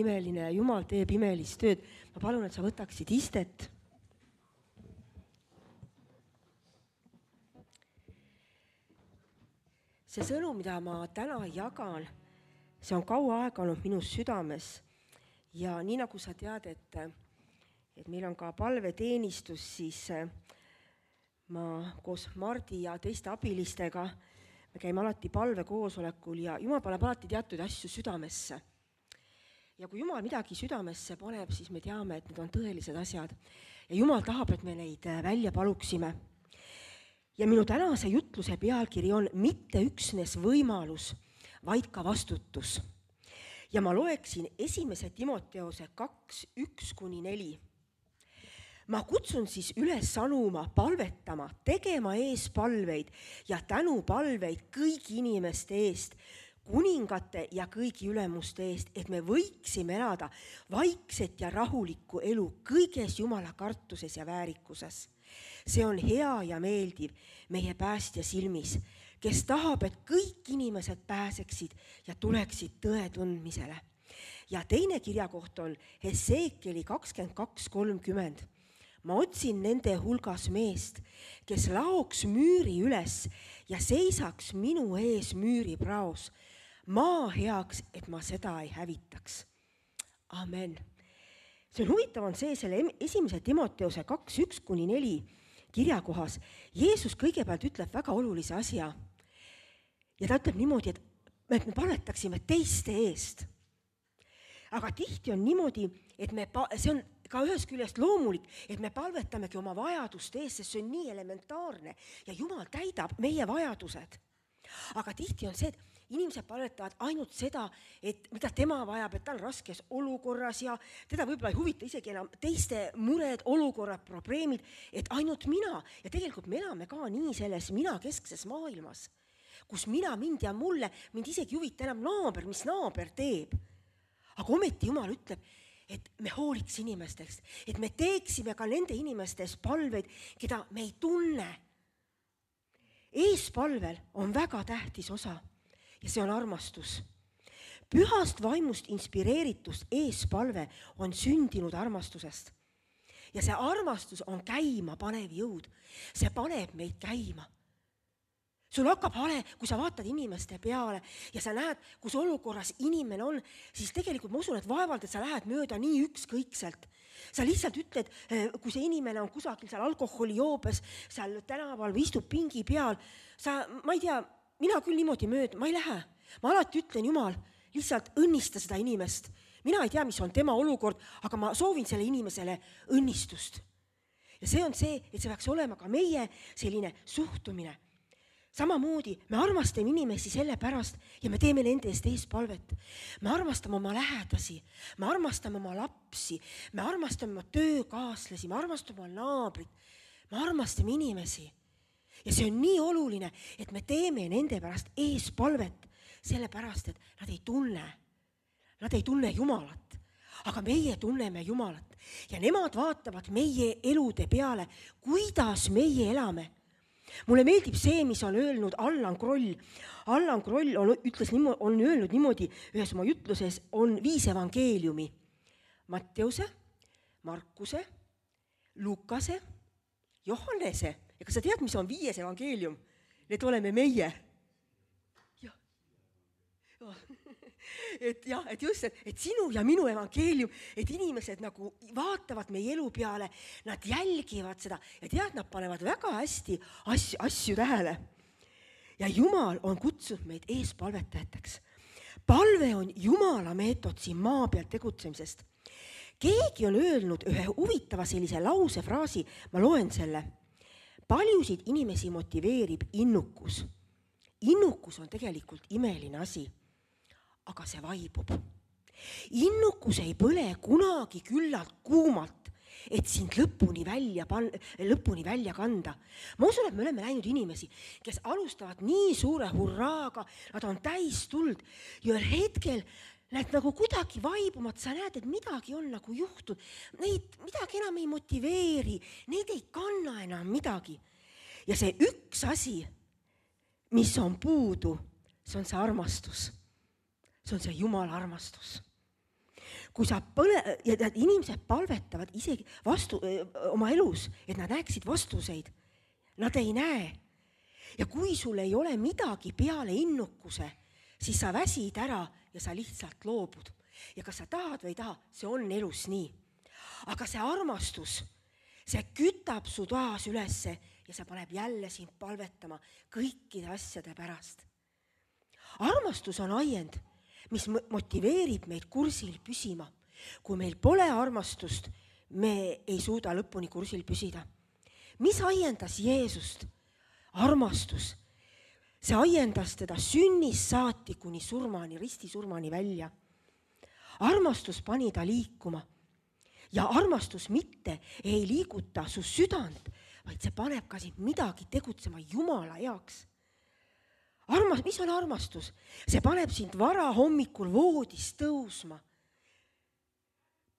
imeline ja Jumal teeb imelist tööd. Ma palun, et sa võtaksid istet. See sõnum, mida ma täna jagan, see on kaua aega olnud minu südames. Ja nii nagu sa tead, et meil on ka palveteenistus, siis ma koos Mardi ja teiste abilistega me käime alati palvekoosolekul ja Jumal paneb alati teatud asju südamesse. Ja kui Jumal midagi südamesse paneb, siis me teame, et need on tõelised asjad. Ja Jumal tahab, et me neid välja paluksime. Ja minu tänase jutluse pealkiri on mitte üksnes võimalus, vaid ka vastutus. Ja ma loeksin 1. Timoteose 2:1-4. Ma kutsun siis üles sanuma, palvetama, tegema eespalveid ja tänupalveid kõigi inimeste eest, kuningate ja kõigi ülemuste eest, et me võiksime elada vaikset ja rahulikku elu kõiges Jumala kartuses ja väärikuses. See on hea ja meeldiv meie päästja silmis, kes tahab, et kõik inimesed pääseksid ja tuleksid tõe tundmisele. Ja teine kirjakoht on Hesekieli 22:30. Ma otsin nende hulgas meest, kes laoks müüri üles ja seisaks minu ees müüripraos, maa heaks, et ma seda ei hävitaks. Amen. See on huvitav on see, selle 1. Timoteose 2:1-4 kirjakohas. Jeesus kõigepealt ütleb väga olulise asja. Ja ta ütleb niimoodi, et me palvetaksime teiste eest. Aga tihti on niimoodi, et see on ka ühest küljest loomulik, et me palvetamegi oma vajaduste eest, sest see on nii elementaarne ja Jumal täidab meie vajadused. Aga tihti on see, et inimesed palvetavad ainult seda, et mida tema vajab, et ta on raskes olukorras ja teda võib-olla ei huvita isegi enam teiste mured, olukorrad, probleemid, et ainult mina. Ja tegelikult me elame ka nii selles mina-keskses maailmas, kus mind ja mulle, mind isegi huvita enam naaber, mis naaber teeb. Aga ometi Jumal ütleb, et me hooliks inimestest, et me teeksime ka nende inimestes palveid, keda me ei tunne. Eespalvel on väga tähtis osa ja see on armastus. Pühast vaimust inspireeritust eespalve on sündinud armastusest. Ja see armastus on käima panev jõud. See paneb meid käima. Sul hakkab hale, kui sa vaatad inimeste peale ja sa näed, kus olukorras inimene on, siis tegelikult ma usun, et vaevalt, et sa lähed mööda nii ükskõikselt. Sa lihtsalt ütled, kui see inimene on kusagil seal alkoholijoobes, seal tänaval või istub pingi peal, ma ei tea, mina küll niimoodi mööda, ma ei lähe. Ma alati ütlen, Jumal, lihtsalt õnnista seda inimest. Mina ei tea, mis on tema olukord, aga ma soovin selle inimesele õnnistust. Ja see on see, et see peaks olema ka meie selline suhtumine. Samamoodi me armastame inimesi selle pärast ja me teeme nende eest eespalvet. Me armastame oma lähedasi, me armastame oma lapsi, me armastame oma töökaaslasi, me armastame oma naabrit, me armastame inimesi. Ja see on nii oluline, et me teeme nende pärast eespalvet, sellepärast, et nad ei tunne Jumalat, aga meie tunneme Jumalat. Ja nemad vaatavad meie elude peale, kuidas meie elame. Mulle meeldib see, mis on öelnud Allan Kroll. Allan Kroll on öelnud niimoodi, ühes oma jutluses on 5 evangeeliumi. Matteuse, Markuse, Lukase, Johannese. Ja kas sa tead, mis on 5 evangeelium? Need oleme meie. Et just, et sinu ja minu evangeelium, et inimesed nagu vaatavad meie elu peale, nad jälgivad seda ja tead, nad panevad väga hästi asju tähele. Ja Jumal on kutsunud meid eespalvetajateks. Palve on Jumala meetod siin maa peal tegutsemisest. Keegi on öelnud ühe huvitava sellise lausefraasi, ma loen selle. Paljusid inimesi motiveerib innukus. Innukus on tegelikult imeline asi. Aga see vaibub. Innukus ei põle kunagi küllalt kuumalt, et sind lõpuni välja kanda. Ma usun, et me oleme näinud inimesi, kes alustavad nii suure hurraaga, nad on täis tuld ja hetkel need nagu kuidagi vaibumad, sa näed, et midagi on nagu juhtunud. Neid midagi enam ei motiveeri, neid ei kanna enam midagi. Ja see üks asi, mis on puudu, see on see armastus. See on see Jumala armastus. kui sa ja inimesed palvetavad isegi oma elus, et nad näeksid vastuseid. Nad ei näe. Ja kui sul ei ole midagi peale innukuse, siis sa väsid ära ja sa lihtsalt loobud. Ja kas sa tahad või ei taha, see on elus nii. Aga see armastus, see kütab su taas ülesse ja see paneb jälle sind palvetama kõikide asjade pärast. Armastus on ajend, mis motiveerib meid kursil püsima. Kui meil pole armastust, me ei suuda lõpuni kursil püsida. Mis ajendas Jeesust? Armastus. See ajendas teda sünnist saati kuni surmani, ristisurmani välja. Armastus pani ta liikuma. Ja armastus mitte ei liiguta su südant, vaid see paneb ka sind midagi tegutsema Jumala heaks. Mis on armastus? See paneb sind vara hommikul voodis tõusma,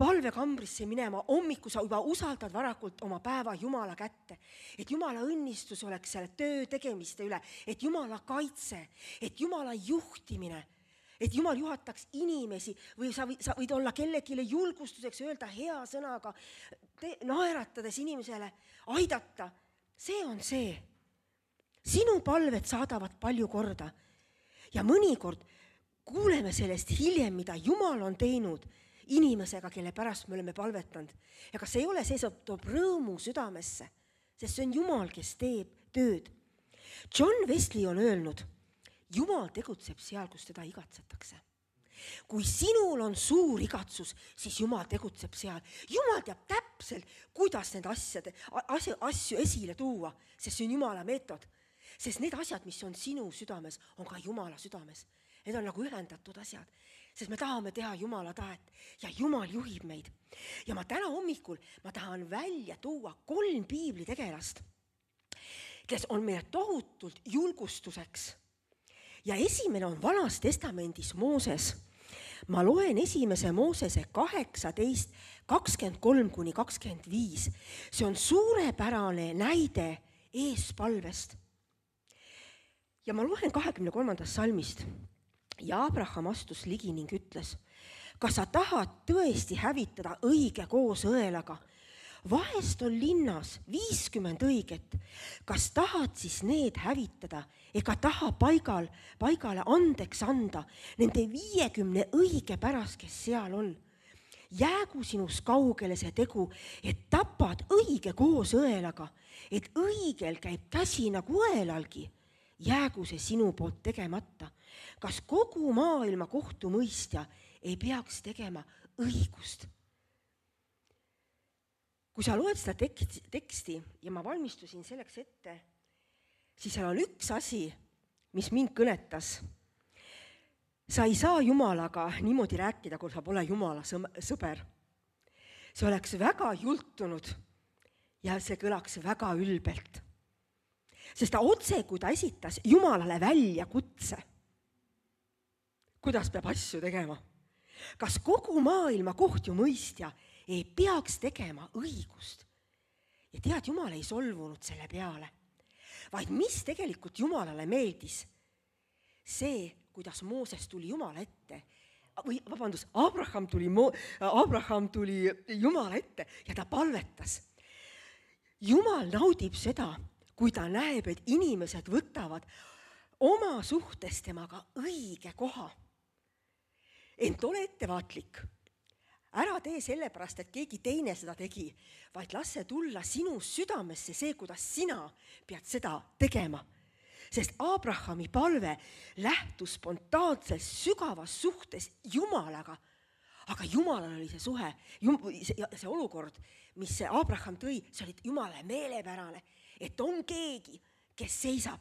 palvekambrisse minema, hommikul sa juba usaldad varakult oma päeva Jumala kätte, et Jumala õnnistus oleks selle töö tegemiste üle, et Jumala kaitse, et Jumala juhtimine, et Jumal juhataks inimesi või sa võid olla kellegile julgustuseks öelda hea sõnaga, naeratades inimesele, aidata. See on see. Sinu palved saadavad palju korda ja mõnikord kuuleme sellest hiljem, mida Jumal on teinud inimesega, kelle pärast me oleme palvetanud. Ja kas ei ole see, toob rõõmu südamesse, sest see on Jumal, kes teeb tööd. John Wesley on öelnud, Jumal tegutseb seal, kus teda igatsetakse. Kui sinul on suur igatsus, siis Jumal tegutseb seal. Jumal teab täpselt, kuidas need asju esile tuua, sest see on Jumala meetod. Sest need asjad, mis on sinu südames, on ka Jumala südames. Need on nagu ühendatud asjad, sest me tahame teha Jumala tahet ja Jumal juhib meid. Ja ma täna hommikul tahan välja tuua 3 piiblitegelast, kes on meile tohutult julgustuseks. Ja esimene on Vanas testamendis Mooses. Ma loen 1. Moosese 18, 23-25. See on suurepärane näide eespalvest. Ja ma loen 23. salmist. Ja Abraham astus ligi ning ütles, kas sa tahad tõesti hävitada õige koos õelaga? Vahest on linnas 50 õiget. Kas tahad siis need hävitada ega taha paigale andeks anda nende 50 õige pärast, kes seal on? Jäägu sinus kaugele see tegu, et tapad õige koos õelaga, et õigel käib käsi nagu õelalgi. Jäägu see sinu poolt tegemata. Kas kogu maailma kohtumõistja ei peaks tegema õigust? Kui sa loed seda teksti ja ma valmistusin selleks ette, siis seal on üks asi, mis mind kõnetas. Sa ei saa Jumalaga niimoodi rääkida, kui sa pole Jumala sõber. See oleks väga jultunud ja see kõlaks väga ülbelt. Sest ta otse, kui ta esitas Jumalale välja kutse, kuidas peab asju tegema. Kas kogu maailma kohtumõistja ei peaks tegema õigust? Ja tead, Jumal ei solvunud selle peale, vaid mis tegelikult Jumalale meeldis? See, kuidas Mooses tuli Jumala ette, Abraham tuli Jumala ette ja ta palvetas. Jumal naudib seda, kui ta näeb, et inimesed võtavad oma suhtes temaga õige koha. Ent ole ettevaatlik. Ära tee sellepärast, et keegi teine seda tegi, vaid lasse tulla sinu südamesse see, kuidas sina pead seda tegema. Sest Abrahami palve lähtus spontaanselt sügavas suhtes Jumalaga, aga Jumalal oli see suhe, see olukord, mis see Abraham tõi, see oli Jumala meelepärane, et on keegi, kes seisab.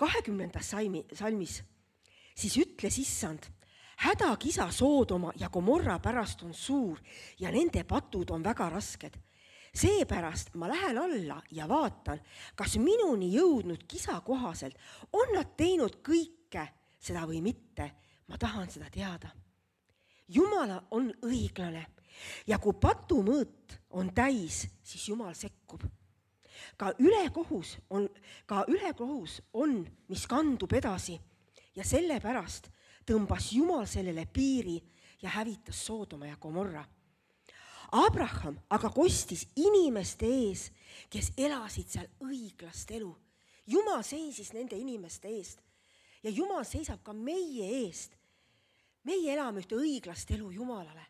20. salmis siis ütles Issand, hädakisa Soodoma ja Gomorra pärast on suur ja nende patud on väga rasked. Seepärast ma lähen alla ja vaatan, kas minuni jõudnud kisa kohaselt on nad teinud kõike seda või mitte. Ma tahan seda teada. Jumala on õiglane ja kui patumõõt on täis, siis Jumal sekkub. Ka ülekohus on, mis kandub edasi ja sellepärast tõmbas Jumal sellele piiri ja hävitas Soodoma ja Gomorra. Abraham aga kostis inimeste ees, kes elasid seal õiglast elu. Jumal seisis nende inimeste eest ja Jumal seisab ka meie eest. Meie elame ühte õiglast elu Jumalale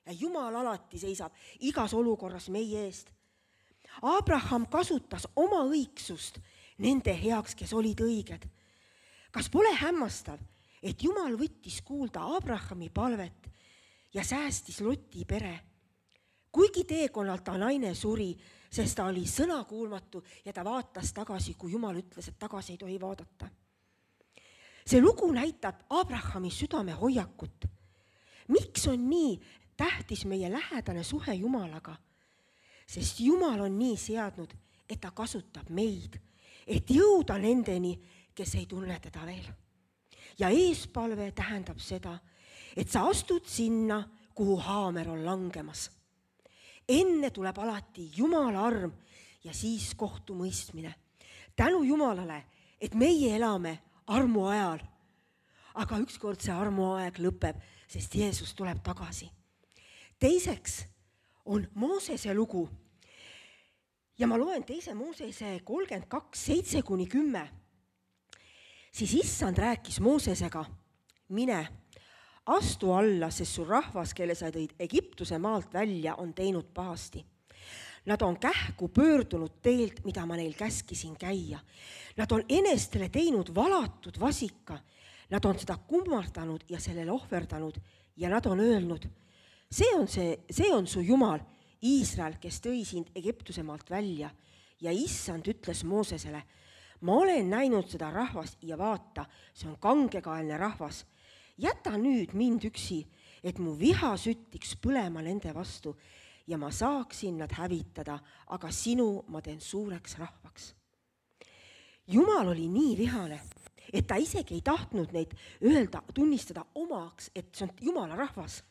ja Jumal alati seisab igas olukorras meie eest. Abraham kasutas oma õigsust nende heaks, kes olid õiged. Kas pole hämmastav, et Jumal võttis kuulda Abrahami palvet ja säästis Loti pere? Kuigi teekonnal ta naine suri, sest ta oli sõnakuulmatu ja ta vaatas tagasi, kui Jumal ütles, et tagasi ei tohi vaadata. See lugu näitab Abrahami südame hoiakut. Miks on nii tähtis meie lähedane suhe Jumalaga? Sest Jumal on nii seadnud, et ta kasutab meid, et jõuda nendeni, kes ei tunne teda veel. Ja eespalve tähendab seda, et sa astud sinna, kuhu haamer on langemas. Enne tuleb alati Jumala arm ja siis kohtumõistmine. Tänu Jumalale, et meie elame armu ajal. Aga ükskord see armuaeg lõpeb, sest Jeesus tuleb tagasi. Teiseks on Moosese lugu. Ja ma loen 2. Moosese 32, 7-10. Siis issand rääkis Moosesega, mine, astu alla, sest su rahvas, kelle sa tõid Egiptuse maalt välja, on teinud pahasti. Nad on kähku pöördunud teelt, mida ma neil käskisin käia. Nad on enestele teinud valatud vasika. Nad on seda kummardanud ja sellele ohverdanud ja nad on öelnud, see on su Jumal, Iisrael, kes tõi sind Egiptuse maalt välja. Ja issand ütles Moosesele, ma olen näinud seda rahvast ja vaata, see on kangekaelne rahvas. Jäta nüüd mind üksi, et mu viha süttiks põlema nende vastu ja ma saaksin nad hävitada, aga sinu ma teen suureks rahvaks. Jumal oli nii vihane, et ta isegi ei tahtnud neid tunnistada omaks, et see on Jumala rahvas.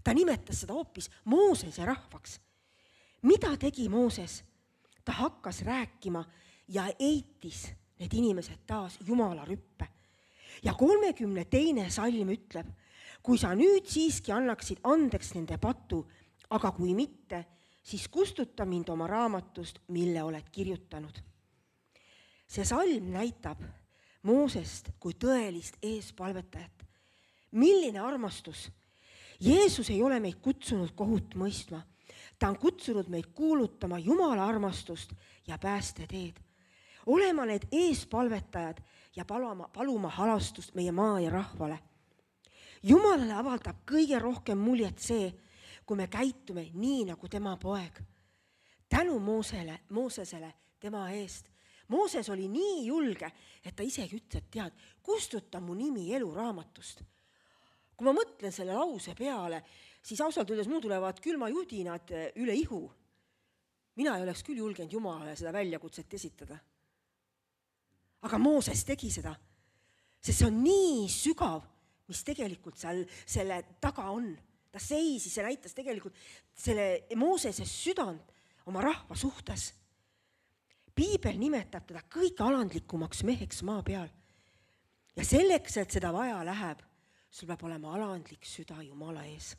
Ta nimetas seda hoopis Moosese rahvaks. Mida tegi Mooses? Ta hakkas rääkima ja eitis need inimesed taas Jumala rüppe. Ja 32. salm ütleb, kui sa nüüd siiski annaksid andeks nende patu, aga kui mitte, siis kustuta mind oma raamatust, mille oled kirjutanud. See salm näitab Moosest kui tõelist eespalvetajat. Milline armastus! Jeesus ei ole meid kutsunud kohut mõistma. Ta on kutsunud meid kuulutama Jumala armastust ja päästeteed. Olema need eespalvetajad ja paluma halastust meie maa ja rahvale. Jumalale avaldab kõige rohkem muljet see, kui me käitume nii nagu tema poeg. Tänu Moosesele tema eest. Mooses oli nii julge, et ta isegi ütles, et tead, kustuta mu nimi eluraamatust. Kui ma mõtlen selle lause peale, siis ausalt öeldes mul tulevad külmajudinad üle ihu. Mina ei oleks küll julgenud Jumalale seda väljakutset esitada. Aga Mooses tegi seda, sest see on nii sügav, mis tegelikult seal selle taga on. Ta seisis ja näitas tegelikult selle Moosese südant oma rahva suhtes. Piibel nimetab teda kõige alandlikumaks meheks maa peal. Ja selleks, et seda vaja läheb, sul peab olema alandlik süda Jumala ees.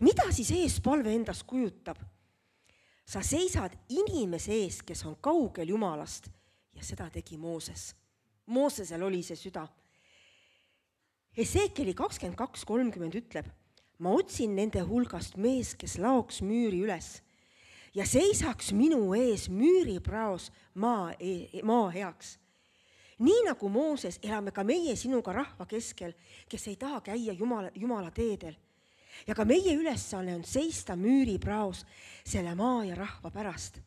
Mida siis eespalve endast kujutab? Sa seisad inimese ees, kes on kaugel Jumalast ja seda tegi Mooses. Moosesel oli see süda. Esekieli 22:30 ütleb, ma otsin nende hulgast mees, kes laoks müüri üles ja seisaks minu ees müüripraos maa heaks. Nii nagu Mooses elame ka meie sinuga rahva keskel, kes ei taha käia Jumala teedel. Ja ka meie ülesanne on seista müüripraos selle maa ja rahva pärast.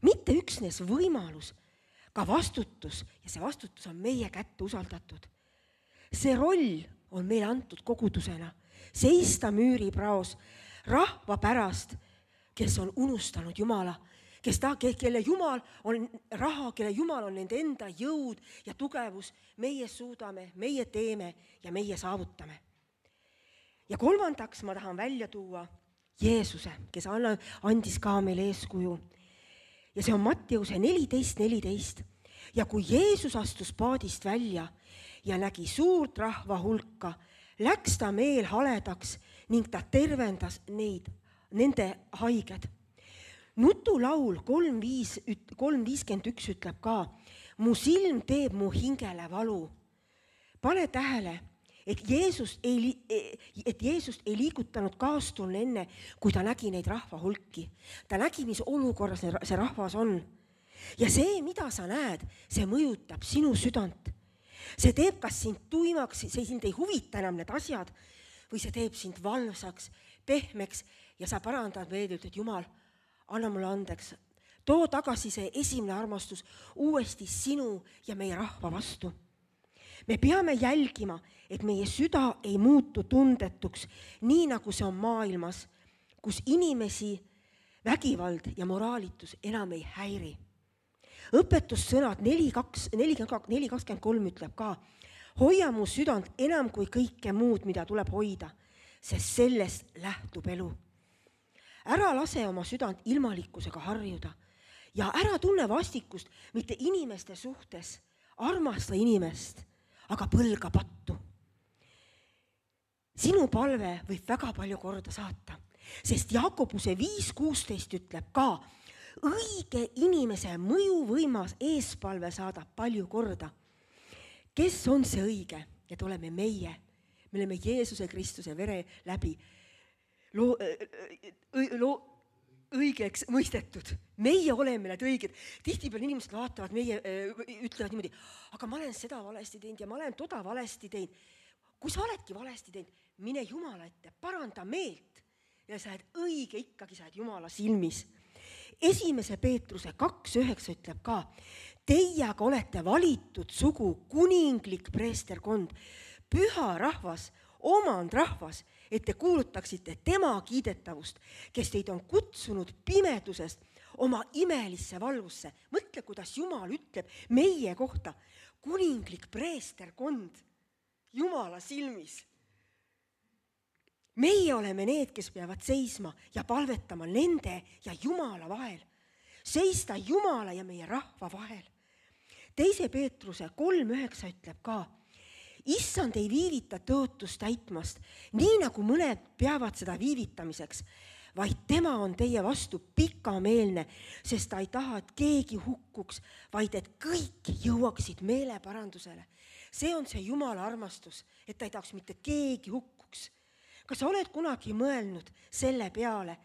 Mitte üksnes võimalus, ka vastutus ja see vastutus on meie kätte usaldatud. See roll on meile antud kogudusena, seista müüripraos rahva pärast, kes on unustanud Jumala, kelle Jumal on raha, kelle Jumal on nende enda jõud ja tugevus, meie suudame, meie teeme ja meie saavutame. Ja kolmandaks ma tahan välja tuua Jeesuse, kes andis ka meile eeskuju. Ja see on Matteuse 14:14. Ja kui Jeesus astus paadist välja ja nägi suurt rahva hulka, läks ta meelhaledaks ning ta tervendas nende haiged. Nutulaul 3:51 ütleb ka, mu silm teeb mu hingele valu. Pane tähele, et Jeesust ei liigutanud kaastunne enne, kui ta nägi neid rahva hulki. Ta nägi, mis olukorras see rahvas on. Ja see, mida sa näed, see mõjutab sinu südant. See teeb kas sind tuimaks, see sind ei huvita enam need asjad, või see teeb sind valvsaks, pehmeks ja sa parandad veel, ütled, Jumal, anna mulle andeks. Too tagasi see esimene armastus uuesti sinu ja meie rahva vastu. Me peame jälgima, et meie süda ei muutu tundetuks, nii nagu see on maailmas, kus inimesi vägivald ja moraalitus enam ei häiri. Õpetussõnad 4:23 ütleb ka, hoia mu südant enam kui kõike muud, mida tuleb hoida, sest sellest lähtub elu. Ära lase oma südant ilmalikkusega harjuda ja ära tunne vastikust mitte inimeste suhtes, armasta inimest, aga põlga pattu. Sinu palve võib väga palju korda saata, sest Jakobuse 5:16 ütleb ka, õige inimese mõjuvõimas eespalve saadab palju korda. Kes on see õige? Et oleme meie. Me oleme Jeesuse Kristuse vere läbi õigeks mõistetud. Meie oleme need õiged. Tihtipeale inimesed vaatavad, meie ütlevad niimoodi, aga ma olen seda valesti teinud ja ma olen toda valesti teinud. Kui sa oledki valesti teinud, mine Jumala ette, paranda meelt ja sa oled õige, ikkagi sa oled Jumala silmis. 1. Peetruse 2:9 ütleb ka, teie aga olete valitud sugu, kuninglik preesterkond, püha rahvas, omandrahvas, et te kuulutaksite tema kiidetavust, kes teid on kutsunud pimedusest oma imelisse valgusse. Mõtle, kuidas Jumal ütleb meie kohta, kuninglik preesterkond Jumala silmis. Meie oleme need, kes peavad seisma ja palvetama nende ja Jumala vahel. Seista Jumala ja meie rahva vahel. 2. Peetruse 3:9 ütleb ka, issand ei viivita tõotust täitmast, nii nagu mõned peavad seda viivitamiseks, vaid tema on teie vastu pikameelne, sest ta ei taha, et keegi hukkuks, vaid et kõik jõuaksid meeleparandusele. See on see Jumala armastus, et ta ei tahaks mitte keegi hukkuks. Kas sa oled kunagi mõelnud selle peale,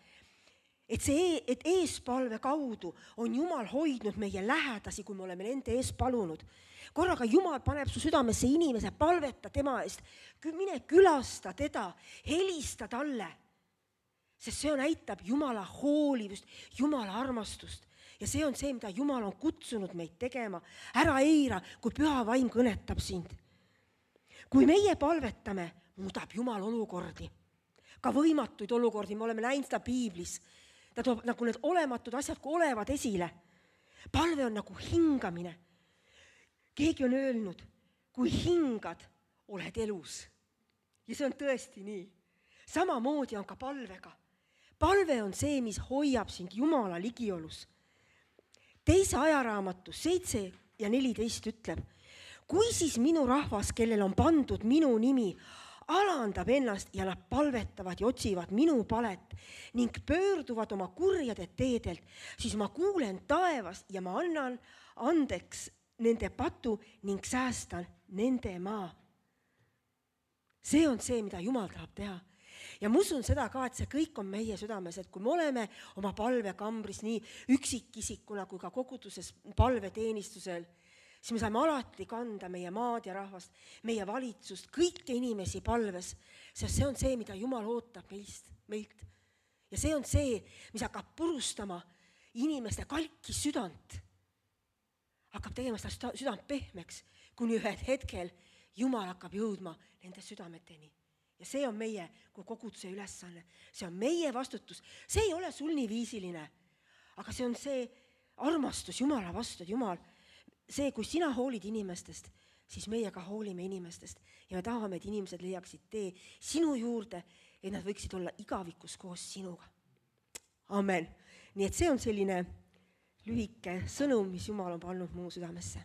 et eespalve kaudu on Jumal hoidnud meie lähedasi, kui me oleme nende ees palunud? Korraga Jumal paneb su südamesse inimese, palveta tema eest, mine külasta teda, helista talle, sest see näitab Jumala hoolivust, Jumala armastust. Ja see on see, mida Jumal on kutsunud meid tegema. Ära eira, kui püha vaim kõnetab sind. Kui meie palvetame, muudab Jumal olukordi. Ka võimatuid olukordi, me oleme näinud seda piiblis. Ta toob nagu need olematud asjad, kui olevad esile. Palve on nagu hingamine. Keegi on öelnud, kui hingad, oled elus. Ja see on tõesti nii. Samamoodi on ka palvega. Palve on see, mis hoiab sind Jumala ligiolus. 2. Ajaraamatu 7:14 ütleb, kui siis minu rahvas, kellel on pandud minu nimi, alandab ennast ja nad palvetavad ja otsivad minu palet ning pöörduvad oma kurjade teedelt, siis ma kuulen taevast ja ma annan andeks nende patu ning säästan nende maa. See on see, mida Jumal tahab teha. Ja ma usun seda ka, et see kõik on meie südames, et kui me oleme oma palvekambris nii üksikisikuna kui ka koguduses palveteenistusel, siis me saame alati kanda meie maad ja rahvast, meie valitsust, kõiki inimesi palves, sest see on see, mida Jumal ootab meilt. Ja see on see, mis hakkab purustama inimeste kalki südant. Hakkab tegema seda südant pehmeks, kuni ühed hetkel Jumal hakkab jõudma nende südameteni. Ja see on meie kui koguduse ülesanne. See on meie vastutus. See ei ole sul nii viisiline, aga see on see armastus Jumala vastu, Jumal. See, kui sina hoolid inimestest, siis meie ka hoolime inimestest ja me tahame, et inimesed leiaksid tee sinu juurde, et nad võiksid olla igavikus koos sinuga. Amen. Nii et see on selline lühike sõnum, mis Jumal on pannud mu südamesse.